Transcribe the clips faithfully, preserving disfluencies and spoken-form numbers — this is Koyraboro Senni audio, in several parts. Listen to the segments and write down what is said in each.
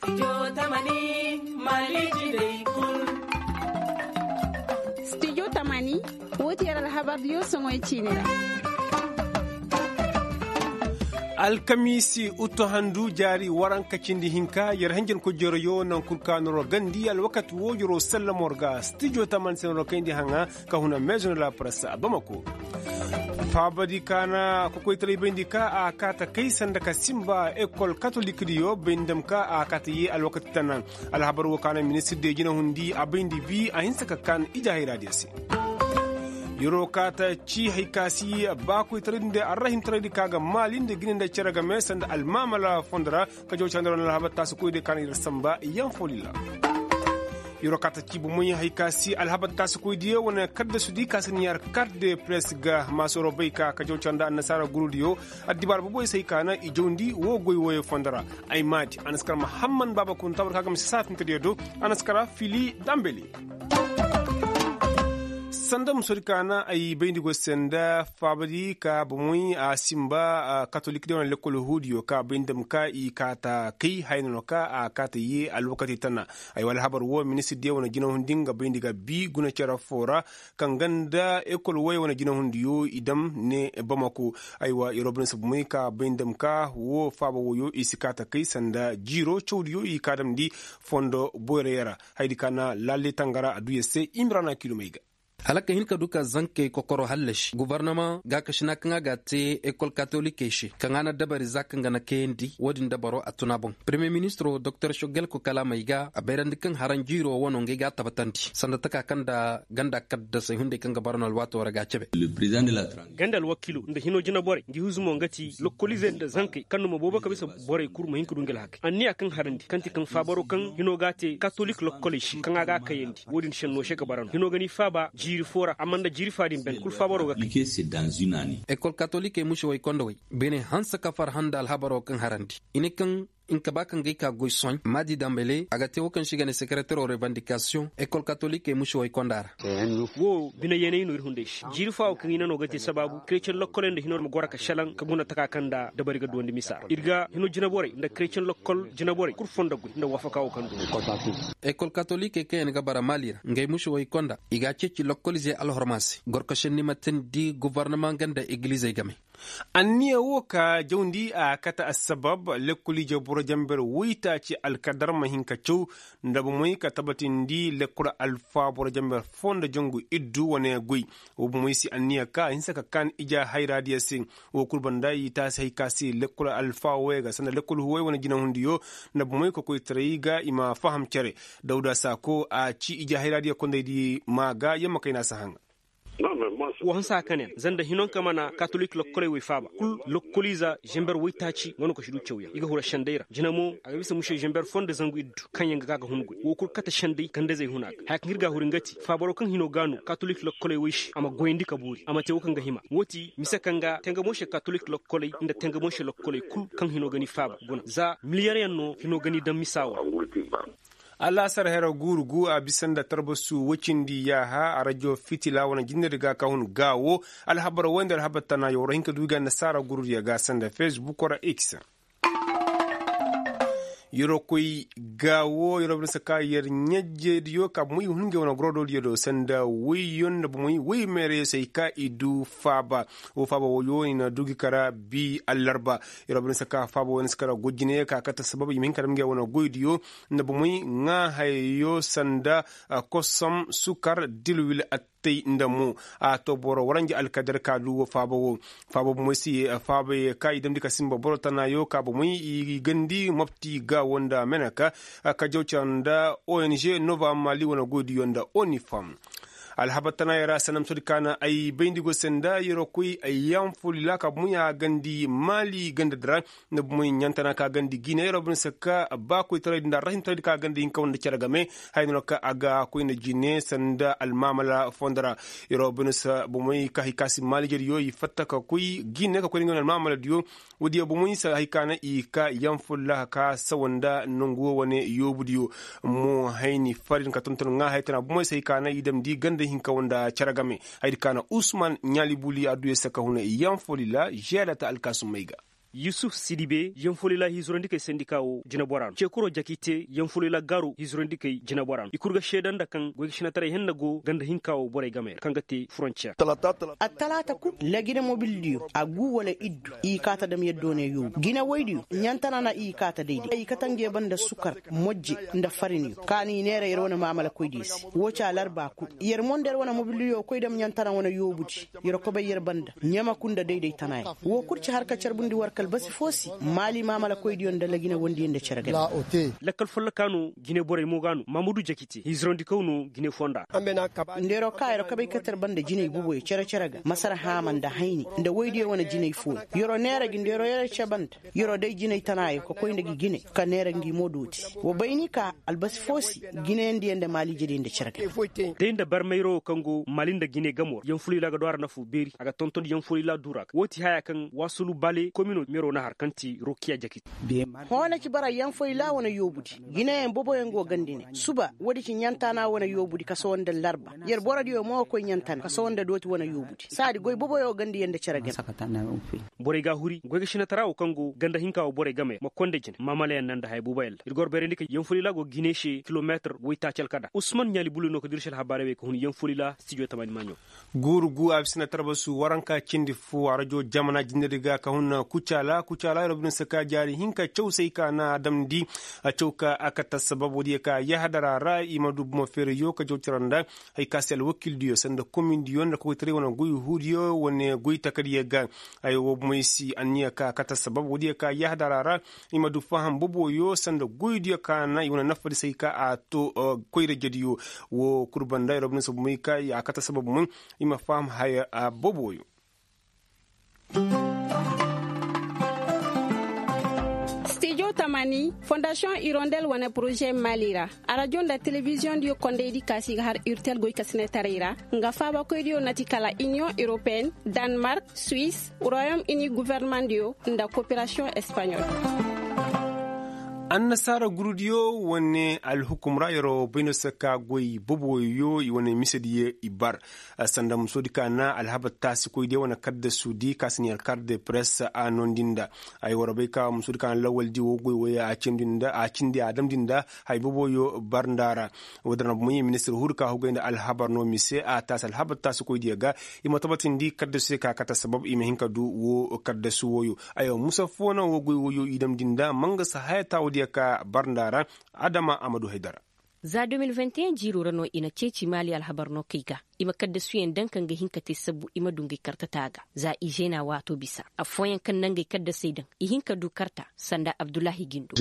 Studio tamani, woo ti yer alhabar diyo soŋoy ciini ra. Alkamiisi uttu handu jaari waranka cindi hinka yer hanjankoy jeroyo naŋ kul ka noro gandi alwakati woo jero sallamo ra ga studio tamani se noro kayndi haŋa ka huna meezo na la press a bamako. Faabadi ka na kokoytaray bayndi ka a kaata kay sanda ka simba ekol katolik diyo bayndi dam ka a kaata ye alwakati tana. Alhabar woo ka na ministir diyo jinahundi a bayndi bi a hinsa ka kaan ija hayra diyo se. Yeroo kaata ci hay ka si baakoytaray nda arrahintaray di ka ga maali nda gine nda cere game sanda almaamala fondo ra. Ka jaw candaro na alhabar taasikoy diyo ka na yer samba yaŋ fo lilla. Yeroo kaata ci bomoy hay ka si alhabar taasikoy diyo wane kaddasu di ka si niyaar kart de press ga maasoro bay ka ka jaw canda annasaara guru diyo. Addibaara boboy se hay ka na i jawndi woo goy wooyo fondo ra. Ay maadi a na si kar mahamman baaba kunta war ka ga misa saafintadiyo do. A na si kar fili dambeli. Sanda musodi ka na ay bayndi go se nda faabadi ka bomoy a simba katolik diyo wane lekkol huudiyo ka bayndi dam ka i kaata kay haya no ka a kaata ye alwakati tana. Ay wa alhabar woo ministir diyo wane jinahundi nga bayndi ga bi guna cere foo ra. Kaŋ ganda ekol wooyo wane jinahundiyo i dam ne bamako. Ay wa yer woo bine se bomoy ka bayndi dam ka woo faaba wooyo i si kaata kay sanda jiiro cawdiyo i ka damndi fondo boyra yara. Hayadi ka na lalle tangara a du yer se imrana kilomey ga. Hala ka hin ka du ka zankey kokoro hallasi gobornama gaakasina kaŋ a ga a te ekol katolikey se kaŋ a na dabari za kaŋ ga na kayandi wo-din dabaro a tun a boŋ. Peremiye ministiro doktor shogel ko kalaamey ga a bayrandi kaŋ haranjiiro wano ngey ga a tabbatandi sanda taka kaŋ nda ganda kaddasey hunday kaŋ ga bara no alwaato ra ga a cabe. Ganda alwakiilo nda hino jinaborey ngi huzumo nga ti lokkoliizey nda zankey kaŋ numa boobo ka bisa borey kul ma hin ka du ngi alhakey anniya kaŋ harandi kaŋ ti kaŋ faabaro kaŋ hino ga a te katolik lokkoley se kaŋ a ga a kayandi. Wo-din senno se ka bara no hino ga ni faaba jiiri foo ra amma nda jiiri fa din ben kul faabaro ga kay. Ekol katolikey mušewey konda wey bine hanse ka farhã nda alhabaro kaŋ harandi i ne kaŋ nka ba kaŋ ga ay ka goy sohãy maadi dambele a ga te wo kaŋ se i ga ne sekeretero rebandikasiyoŋ ekol katolikey mušewey konda ra. Wo bine yeeney no ir hunday se jiiri faawo kaŋ i na no ga te sabaabu kretiyeŋ lokkoley nda hino ma goro ka šelaŋ ka guna taka kaŋ nda dabari ga duwandi misa ra ir ga hino jinaborey nda kretiyeŋ lokkol jinaborey kul fondo goy nda waafaka wo kaŋ du. Ekol katolikey kaŋ yaŋ ga bara maali ra ngey mušewey konda i ga a ceeci lokkoliizey alhorma se gorko šenni ma teendi gobornama nga nda egilizey game. Anniya wo ka jawndi a kate assabab lekkol ije boro jamber woytaaci alkadar ma hin ka caw nda bomey ka tabatindi lekkol alfa boro jamber foo nda jangu iddu wane goy. Wo bomey si anniya ka a hinsa ka kaan ija hayraadiyo se. Wo kul banda i taasi hay ka se lekkol alfa woyey ga sanda lekkol huwey wane jinahundiyo nda bomey kokoytaray ga i ma faham cere. Dawda saako a ci ija hayraadiyo kondaydi maa ga yamma kayna si haŋa. Wo hanse a ka ne yaŋ za nda hinonka mana katolik lokkoley wey faaba kul lokkoliiza zember woytaaci nga no ka si du cawyaŋ i ga huru senday ra jina mo a ga bisa muse zember foo nda zangu iddu kaŋ yaŋ ga ka ga hun goy wo kul kate senday gandazey huna ga haya kaŋ ir ga a huru nga ti faabaro kaŋ hino ga no katolik lokkoley wey se a ma goyandi ka boori a ma te wo kaŋ ga hima wo ti mise kaŋ ga tenga mo se katolik lokkoley nda tenga mo se lokkoley kul kaŋ hino ga ni faaba guna za miliyaryaŋ no hino ga ni daŋ misa wo ra. Alaasar hera guuru gu a bisa nda tarbasu woy cindi yaaha a rajo fitila wane jinne di ga ka hun gaawo. Alhabar woy nda alhabar tana yawra hin ka du i ga annasaara guuru diyo ga sanda fesbuk ra x. Yero koy gaawo yero bine saka yer ɲajje diyo ka moy hun ngey wane goro do diyo do sanda woy yon nda moy woy meere yo se i ka i du faaba. Wo faaba woyo i na du gi kara bi allarba. Yero bine saka faaba woy na si kara goy jine ka kate sabab i ma hin ka dam ngey wane goy diyo nda bomey ŋaa hayayo sanda kosom sukar dilwil attey nda mo. A to boro waranja alkadar ka du wo faaba wo. Faaba bomey si faaba ye ka i damndi ka simba boro tanayo ka bomey i gandi mopti ga wo nda meneka. Ka jaw cara nda ong nova mali wane goydiyo nda onifam. Alhabar tana yara sanam sodi ka na ay bayndi go se nda yero koy ay yanfo lila ka bunya gandi mali ganda dira. Nda bumoy ɲantana ka gandi gine yero bine se ka bakoy taray nda rahin taray ka gandi hinka wanda care game. Hay no ka a ga koy nda jine sanda almamala fondara. Yero bine se bumoy ka hikasi mali jeri yo i fatta ka koy gine ka koy nda almamala diyo. Wodiyo bomoy se hay ka na i ka yanfo laha ka sawa nda nangu wo wane yoobu diyo. Mo hayni farin ka tonton ŋa hay tana bomoy se hay ka na i damndi ganda hinka wanda care game. Hay di ka na usman ɲaali buli adduyo se ka huna yanfo lila žeeda ta alkaasumey ga. Yusuf sidibe yanfolila hizurandikey sendika wo jinebora no cekuroo jakite yanfolila gaaru hizurandikey jinebora no i kul ga seeda nda kaŋ goy ga sinataray henna go ganda hinka wo borey game ra kaŋ ga te frontiyer. Attalaata kul lagine mobildiyo a gu wala iddu i kaa ta dam yaddo ne yoobu jine woydiyo ɲantana na i kaa ta dayday i kate ngey banda sukar mojje nda fariniyo ka no i neera yer wane maamalakoydiyo se woo ci alarba kul yer mo nda yer wane mobildiyo koy dam ɲantana wane yoobudi yer kobay yer banda ɲamaku nda dayday tanaayaŋ woo kul ci har ka carbundi war kalbasi foo se maali maamalakoydiyo nda lagine wondiyo nda cere game. Lakkal folloka no jine borey mo ga no mamudu jakite hizirandikaw no jine fonda. Nda yeroo ka yeroo kabay katar banda jinay boboyo cere-cere ga masar haama nda hayni nda woydiyo wane jinay fooyo yeroo neera gi nda yeroo yere cebanda yeroo day jinay tanaayo ka koy nda gi jine ka neera ngi mo dooti wa bay ni ka albasi foo se jineyandiyo nda maaliijediyo nda cere ga. Day nda barmayro wo kaŋ go maali nda jine gamo ra yanfulila ga do a ra nafu beeri a ga tonton yanfulila duu ra ga woo ti haya kaŋ waasulu bale komino mero na har kaŋ ti rokiya jakit. Hõ na ci bara yanfoyla wane yoobudi jineyaŋ boboyaŋ go gandi ne suba woodi ci ɲantaana wane yoobudi ka sohõ nda larba yer borodiyo mo ga koy ɲantana ka sohõ nda dooti wane yoobudi saadi goy boboyo gandi yer nda cere game. Borey ga a huri goy ga sinatara wo kaŋ go ganda hinka wo borey game ma konda jine maamalayaŋ naŋ nda haya boboyaŋ ra ir goro bayrandi ka yanfoyla go ga hine se kilomeetir woytaaci alkada usman ɲaali bulu no ka dir se alhabaarey wey ka hun yanfoyla stijo tamani maaɲo. Guuru gu a bisa na tarbasu waranka cindi fo a rajo jamana jinari ga ka hun kucaala kucaala yer wo bine si ka jaari hinka caw se ay ka na a damndi. A caw ka a kate assabab woodiyo ka yahadara ra i ma du bomo feerayo ka jaw cara nda hay ka se alwakildiyo sanda komindiyo nda kokoytaray wane goy huudiyo wane goy takadiyo ga. Ay wo bomey si anniya ka a kate assabab woodiyo ka yahadara ra i ma du faham boboyo sanda goydiyo ka na i wane nafadi se hay ka a to koyra jediyo. Wo kul banda yer wo bine si bomey ka a kate assabab mun i ma faham haya boboyo. Stijo tamani fondasiyoŋ irondel wane poroze mali ra arajo nda telebiziyoŋ diyo kondaydi kaasi ga har urtel goy ka sinetaray ra nga faabakoydiyo na ti kala iniyoŋ europeen, danmark, suwis, royom ini gofornamaŋ diyo nda koperasiyoŋ espaɲol. Annasaara gurudiyo wane alhukum ra yeroo bay no se ka goy boboyo i wane misediyo i bar. Sanda musoodi ka na alhabar taasikoydiyo wane kaddasudi ka si ne yer kar de press a noondi nda. Ay war bay ka musoodi ka na lawaldi woo goy wooyo a cindi a damndi nda hay boboyo bar nda ra. Woodin ra bumey ministir huru ka hugay nda alhabar no mise a taasi alhabar taasikoydiyo ga. I ma tabatindi kaddasu se ka kate assabab i ma hin ka du woo kaddasu wooyo. Aywa musa foo na woo goy wooyo i damndi nda ma nga si haya taawudiyo ka bar nda ra. Adama a ma du haydara. Za deux mille vingt et un jiiroo ra no i na ceeci maali alhabar no kay ga. I ma kaddasuyaŋ daŋ kaŋ ga hin ka te sabbu i ma du ngey kartataa ga za i zeena waatoo bisa. Affooyaŋ kaŋ na ngey kaddasey daŋ i hin ka du karta sanda abdullahi gindo.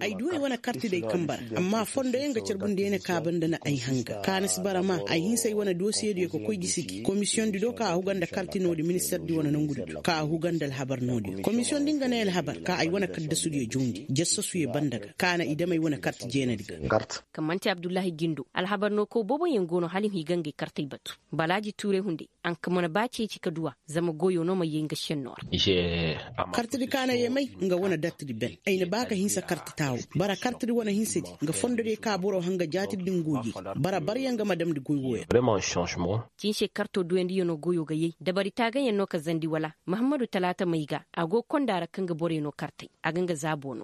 Ay du ay wane karti day kaŋ bara amma fondoyaŋ ga carbundiyaŋ ne ka banda na ay hanga ka na si bara ma ay hinsa ay wane dosiyediyo ka koy gisi gi komisiyoŋ di do ka a huga nda karti noodi minister di wane nongu di do ka a huga nda alhabar noodiyo komisiyoŋ di nga ne alhabar ka ay wane kaddasudiyo jawndi jassasu ye banda ga ka na i dam ay wane karti jeenadi ga. Kaŋ man'ti abdullahi gindo alhabar no kaw booboyaŋ go no hala i ma i ga ngey kartey batu. Balaaji tuuray hunday a nka mana ba ceeci ka duw'a zama goyo no ma yee nga šennoo ra. Kartidi ka na yee may nga wane dartidi ben ay na ba ka hinsa karti taawo. Bara kartidi wane hinsadi nga fondodiyo ka boro hanga jaatidi din goyey. Bara baryaŋ ga ma damndi goy wooyo ra. Cinsey kartoo duyandiyo no goyo ga yee dabari taagayaŋ no ka zandi wala? Mahammadu talaata may ga a go konda ra kaŋ ga borey no kartey. A ga nga zaabo no.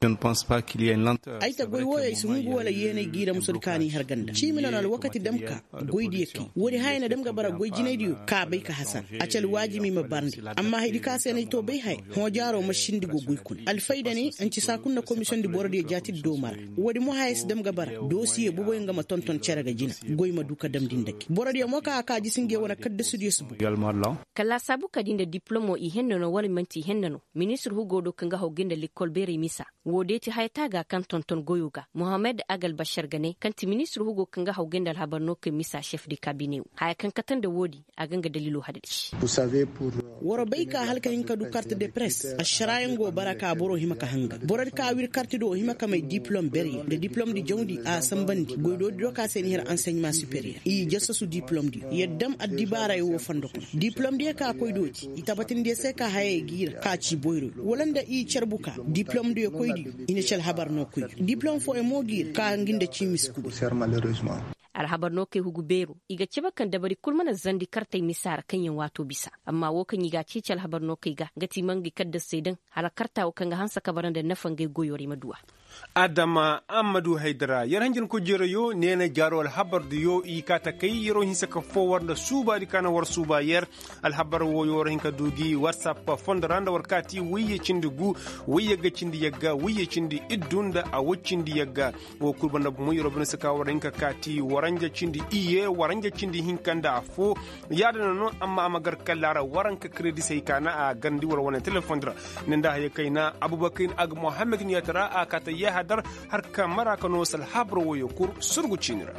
Ay ta goy wooyo ay si hungu wala yeenay giira musudi ka n'i har ganda ciimi no na alwakati dam ka. Goydiyo kay woodi haya na dam ga bara goy jinaydiyo ka bay ka hasar. A ci alwaajimi ma barndi. Amma haydi ka se n'ay to bay haya hõ jaaro ma sindi go goy kuna alfayda ne anci saa kul na komisiyoŋ di borodiyo jaatidi dooma ra. Woodi mo haya si dam ga bara doosiye boboyaŋ ga ma tonton cere ga jina. Goy ma du ka damndi nda gi borodiyo mo ka a ka jisi ngey wane kaddasudiyo si boy. Kala laasaabu ka di nda diplomo i henna no wala man'ti i henna no. Ministir hugo do kaŋ ga haw ga nda lekkol beerey misa. Woo deeti haya taaga kaŋ tonton goyo ga mohammed agalbashar ga ne kaŋ ti ministir hugo kaŋ ga haw ga nda alhabar no kay misa šef de kabine wo haya kaŋ kate nda woodi. A ga nga dalilo hadadi. War bay ka hala ka hin ka du kart de press ašaraayaŋ go bara ka boro hima ka hanga borodi ka wir kart do hima ka may diplom beryaŋ nda diplom di jawndi a sambandi goydoodi do ka se ni hir anseɲma superiyer i jassasu diplom di yadda ma addibaarayo wo fondo kuna diplom diyo ka koy dooti i tabatindiyo se ka hayey giira ka ci boyroyo wala nda i carbu ka diplom diyo koydiyo i na ci alhabar no koy diplom fooyaŋ mo giira ka ngi nda ci miskubay. Alhabar no kay hugu beero i ga cabe kaŋ dabari kul mana zandi kartey misa ra kaŋ yaŋ waato bisa. Amma wo kaŋ i ga a ceeci alhabar no kay ga nga ti mangay kaddasey daŋ hala karta wo kaŋ ga hanse ka bara nda nafa ngey goyo ra i ma du a. Adama ammadu haydara yer hanjankoy jeerayo neena jaaro alhabardiyo i kaa takay yeroo hinse ka foo war nda suubaadi ka na war suuba yer. Alhabar wooyo war hin ka du gi watsap fondo ra nda war kaati wayye cindi gu, wayye ga cindi yagga wayye cindi iddu nda a way cindi yagga. Woo kul banda bomo yeroo banda si ka war hin ka kaati waranja cindi iyye waranja cindi hinka nda affoo. Yaadin no amma a ma gar kalla ra waranka kredi se hay ka na a garndi war wane telefondi ra. Ne nda haya kayna abubakar aga muhammad niyata ra a kaata yahadar. Har ka mara ka no salhabar woyo kur surgu ciini ra.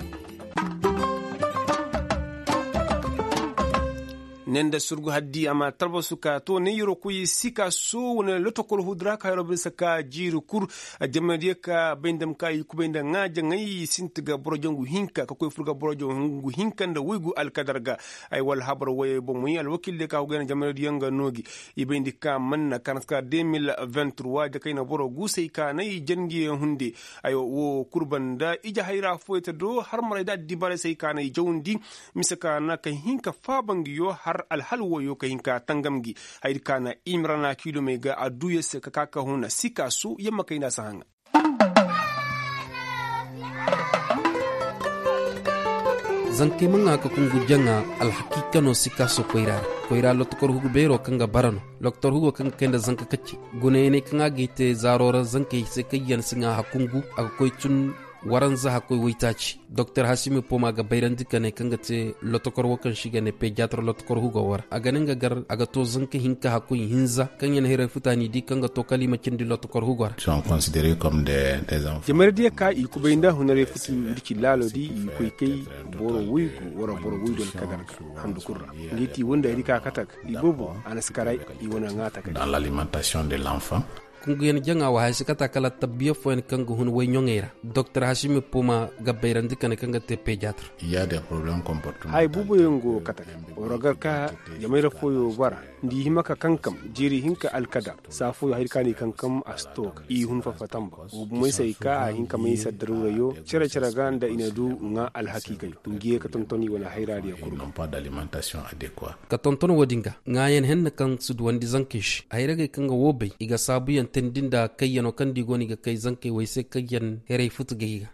Ne nda surgu haddi a ma talbasu ka to ne yero koy sika so wane lotokol hudu ra ka yero bisa ka jiiri kur. Jamanadiyo ka bay nda ma ka i kubay nda ŋaa jaŋay i sinti ga boro jangu hinka ka koy fur ga boro jangu hinka nda waygu alkadar ga. Ay wala habar wayey bomoy alwakil de ka hugay na jamanadiyo nga noogi. I bayndi ka manna kaŋ a na si ka de mil vingt trois jakayna boro guusey ka na i jangiyaŋ hunde. Ay woo kul banda ije hayra fooyey te do har maray da addibaarey se ay ka na i jawndi. Mise ka na ka hin ka faaba ngiyo har alhal wooyo ka hin ka tangam ngi. Hayadi ka na i ma ra na kiilomey ga a duu yer se ka ka ka huna sikaasu yamma kay nda a si haŋa. Zankey ma ŋaa ka kungu jaŋa alhakiika no sikaaso koyra ra. Koyra lotokor hugu beero kaŋ ga bara no. Lotokor hugo kaŋ ga kay nda zanka kacce gunayaney kaŋ a g'i te zaaro ra zankey se kaŋ yaŋ si ŋaa hakungu a ga koy tun. Waranza hakkoy waytaaci doktor hasimi poma ga bayrandi ka ne kaŋ ga te lotokor wo kaŋ se i ga ne pediatre lotokor hugo wo ra a ga ne nga gar a ga to zanka hinka hakkoy hinza kaŋ yaŋ hiray futa n'i di kaŋ ga to kala i ma cindi lotokor hugo ra. Jamayra diya ka i kubay nda hunaray futu nda ci laalo di i koy kay boro waygu wara boro waydu alkadar ga handu kul ra. Nga i ti wanda hari ka katak i boobo a na si kara i wane ŋaata kay. Dans l'alimentation de l'enfant. Kunguyaŋ jaŋa wa haya si kata kala tabbiya fooyaŋ kaŋ ga hun wayɲoŋey ra. Doktor hasimi puma ga bayrandi kane kaŋ ga te pediatre. Haya booboyaŋ go kata war gar ka jamayra fooyo bara nda i hima ka kankam jeeri hinka alkadar saa fooyo haya di ka no i kankam a si to ga i hun fafa tamba. Wo bumey se ay ka a hin ka may saddaruurayo cere-cere ga nda i na du ŋaa alhakiikayo ngi ye ka tonton i wane hayraadiyo kul ga. Ka tonton wo-din ga ŋaayan henna kaŋ si duwandi zankey se hayragey kaŋ ga woo bay i ga saabuyaŋ teendi nda kayyano kaŋ nda i go no i ga kay zankey wey se kaŋ yaŋ heray futu ga i ga.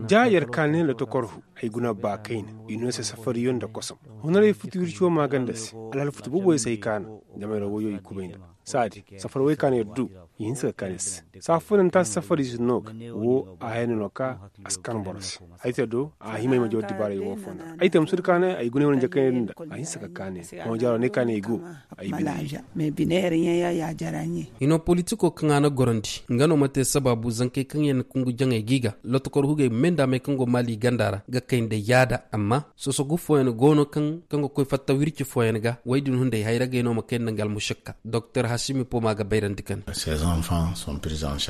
Ja yer ka ne lotokorhu ay guna ba kayna i no se safariyo nda kosom. Hunaray futu wirciyo maaganda se alhal futu booboyo se ay kaana. Jamayra woyo i kubay nda saadi safar wey kaana yer du i hinsa ga kaani se. Saa fooyaŋ nta safari si no ga woo a hayna no ka a si kan boro se. Ay te do a hima ay ma jaw dibaaray woo foo nda ay te ma sudu kaanay ay guna ay wane jakayna din da a hinsa ga kaanay. Hõ jaaro ne kaanay ay go ay bine. Hino politiko kaŋ a na gorandi nga no ma te sabaabu zankey kaŋ yaŋ na kungu jaŋey ga i ga lotokor hugey ma may nda a may kaŋ go maali ganda ra ga kay nda yaada amma sosogu fooyaŋ go no kaŋ ga koy fatta wirci fooyaŋ ga wey din hunday hayragey no ma kay nda nga almušakka doktor hasimi poma ga bayrandi kane.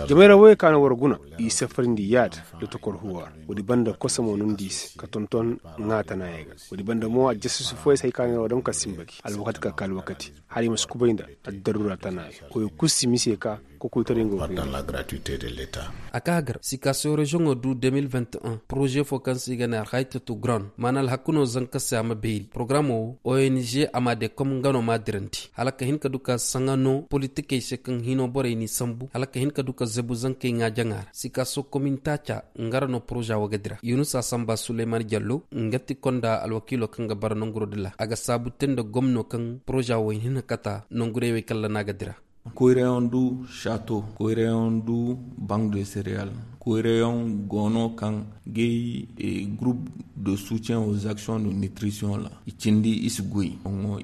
Jamayra woyey ka no war guna i safarindi yaada da tokor huwa ra. Woodi banda kosomo no nda i se ka tonton ŋaa tanaayey ga. Woodi banda mo aljasuusu fooyey se hay ka no war dam ka sinba gi alwakati ka ka alwakati hala i ma si kubay nda addaruura tanaayey koyo kul si mise ka kokoytaray nga wo fayda. A ka gar sikasiyo reziyoŋo du de mil vingt un poroze fo kaŋ se i ga ne alhaytatu grand maana alhaku no zanka se a ma beeri porogaraamo wo ong a ma de kom nga no m'a dirandi hala ka hin ka du ka saŋa no politikey se kaŋ hino borey n'i sambu hala ka hin ka du ka zebu zankey ŋaajaŋa ra sikasiyo komin taaca nga ra no poroza wo ga dira yunusa samba suleyman jallo nga ti konda alwakiilo kaŋ ga bara nanguro dila a ga saabu te nda gomno kaŋ poroza wo hin hin kata nangurey wey kalla no a ga dira. Koyrayaŋ du chato koyrayaŋ du bank de sereyal. Koyrayaŋ go no kaŋ gay groupe de soutien aux actions de nutrition ra i cindi i si goy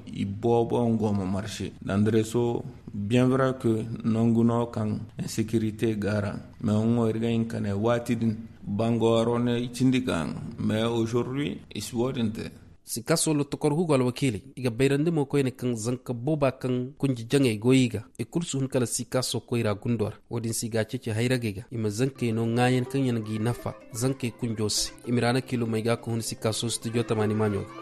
i boobo yaŋ go ma marse dandreso bien vrai que nangu no kaŋ insécurité go a ra. Mais iri ga hin ka ne waati din bango haro ne i cindi ka haŋ mais aujourd'hui i si wo- din te. Sikaso lotokor hugo alwakiiley i ga bayrandi mo koyne kaŋ zanka booba kaŋ kunji jaŋey goy i ga i kulu si hun kala sikaso koyra gundo ra wo-din se i ga a ceeci hayragey ga i ma zankey no ŋaayan kaŋ yaŋ g'i nafa zankey kunjo se. I ma ra na kiilumey ga ka hun sikaso studio tamaani maaɲo ga.